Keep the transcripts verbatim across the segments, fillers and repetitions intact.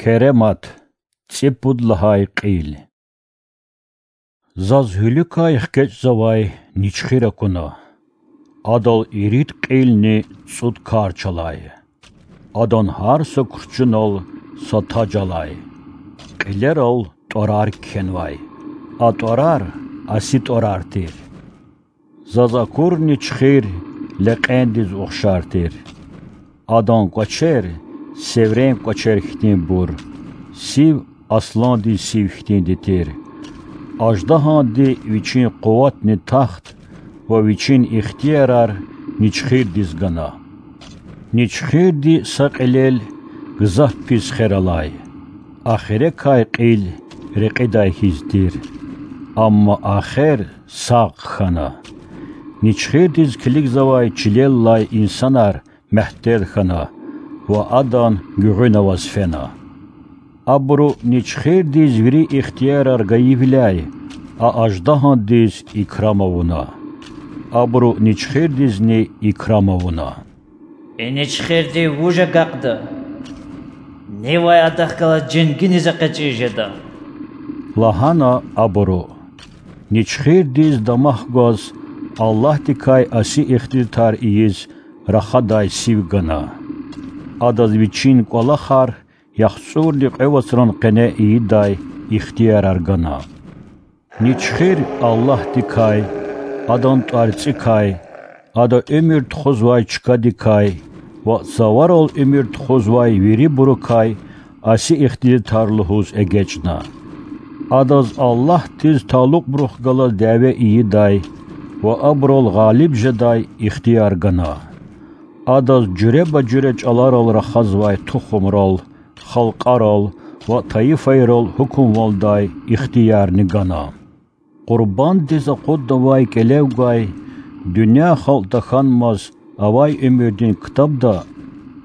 Керемат, цӀипуд лагьай кьил. Заз гьуьлуькай хкечӀзавай ничхир акуна. Адал ирид кьилни цӀуд кар чалай. Адан гьар са курчунал са таж алай. Кьилерал тӀварар кхьенвай. А тӀварар аси тӀварар тир. Заз акур ничхир лекьендиз ухшар тир. Адан кӀвачер севрен кӀвачер хьтинбур, сив асландин сив хьтинди тир. Аждагьанди вичин къуватни тахт ва вичин ихтиярар ничхирдиз гана. Ничхирди са кьилел гзаф пис хер алай. Ахирекай кьил рекьидай хьиз тир. Амма а хер сагъ хьана. Ничхирдиз килигзавай чилеллай инсанар мягьтел хьана ва адан гуьгъуьна аваз фена. Абуру ничхирдиз вири ихтиярар гайивиляй, а аждагьандиз икрам авуна. Абуру ничхирдизни икрам авуна. И ничхирди вуж агакьда? Нивай адахъ галаз женгиниз экъечӀиз жеда,— лагьана абуру. Ничхирдиз дамах гваз Аллагьдикай аси ихтилатар ийиз рахадай сив гана. Адаз вичин кӀвалахар яхцӀурни кьве вацран къене ийидай ихтиярар гана. Ничхир Аллагьдикай, Адан тӀварцӀикай, Ада уьмуьр тухузвай чкадикай ва цаварал уьмуьр тухузвай вирибурукай аси ихтилатар лугьуз эгечӀна. Адаз Аллагьдиз талукьбурухъ галаз дяве ийидай ва абурал гъалиб жедай ихтияр гана. Адаз жуьреба-жуьре чӀаларал рахазвай тухумрал, халкьарал ва тайифайрал гьукумвалдай ихтиярни гана. Къурбандиз акъуднавай кӀелев гвай, дуьнья халкь тахьанмаз авай уьмуьрдин ктабда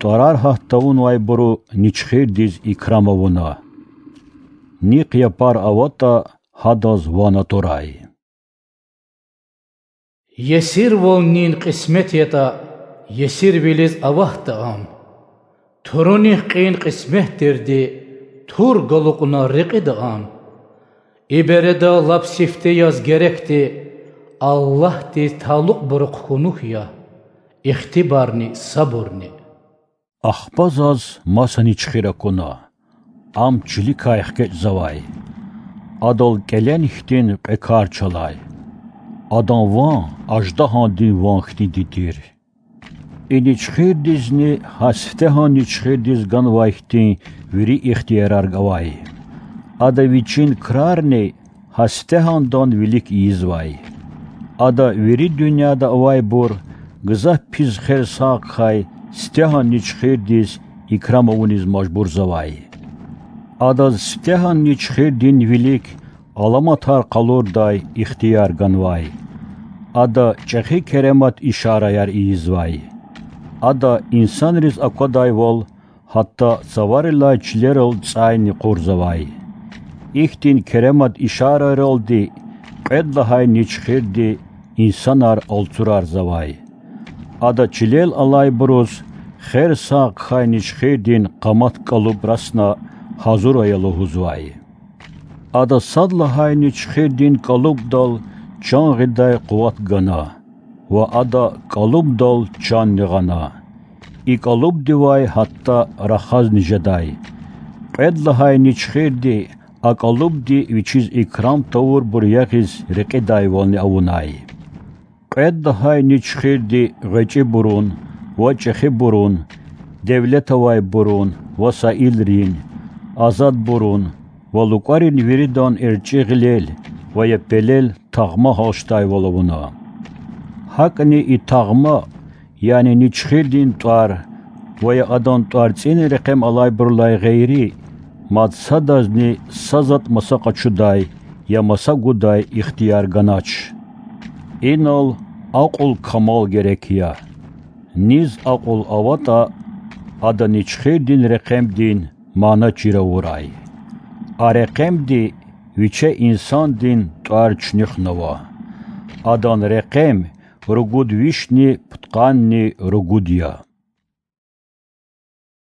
тӀварар гьат тавунвайбуру ничхирдиз икрам авуна. Нихъ япар аватӀа, гьадаз ван атурай. Есирвал нин кьисмет ятӀа, есирвилиз аватда ам. Турунихъ кьин кьисмет тирди, тур галукьна рекьида ам. И береда лап сифте яз герекди Аллагьдиз талукьбурухъ хьунух я, ихтибарни сабурни. Ахпа заз маса ничхир акуна. Ам чиликай хкечӀзавай. Адал кӀелен хьтин кьве кар чалай. Адан ван аждагьандин ван хьтинди тир. И ничхирдизни гьа сифтегьан ничхирдиз ганвай хьтин вири ихтиярар гвай. Ада вичин крарни гьа сифтегьандан вилик ийизвай. Ада вири дуьньяда авайбур гзаф пис хер сагъ хьай сифтегьан ничхирдиз икрам авуниз мажбурзавай. Адаз сифтегьан ничхирдин вилик аламатар къалурдай ихтияр ганвай. Ада чӀехи керемат ишараяр ийизвай. Ада инсанриз аквадайвал, гьатта цаварилай чилерал цӀайни кьурзавай. Ихьтин керемат ишарайралди кьвед лагьай ничхирди инсанар алцурарзавай. Ада чилел алайбуруз хер сагъ хьай ничхирдин къамат кӀалуб расна гьазур ая лугьузвай. Ада сад лагьай ничхирдин кӀалубдал чан гъидай къуват гана ва ада кӀалубдал чанни гъана. И кӀалубдивай гьатта рахазни жедай. Кьвед лагьай ничхирди а кӀалубди вичиз икрам тавурбур ягъиз рекьидайвални авунай. Кьвед лагьай ничхирди гъвечӀибурун ва чӀехибурун, девлет авайбурун ва саилрин, азадбурун ва лукӀарин виридан эрчӀи гъилел ва я пелел тагъма гьалчдайвал авуна. ГьакӀни и тагъма, яни ничхирдин тӀвар ва я адан тӀварцӀин рекьем алайбурулай гъейри, мад садазни са затӀ маса къачудай я маса гудай ихтияр ганач. Инал акьул-камал герек я. Низ акьул аватӀа, ада ничхирдин рекьемдин мана чир авурай. А рекьемди виче инсандин тӀвар чуьнуьхнава. Адан рекьем ругуд вишни пудкъанни ругуд я.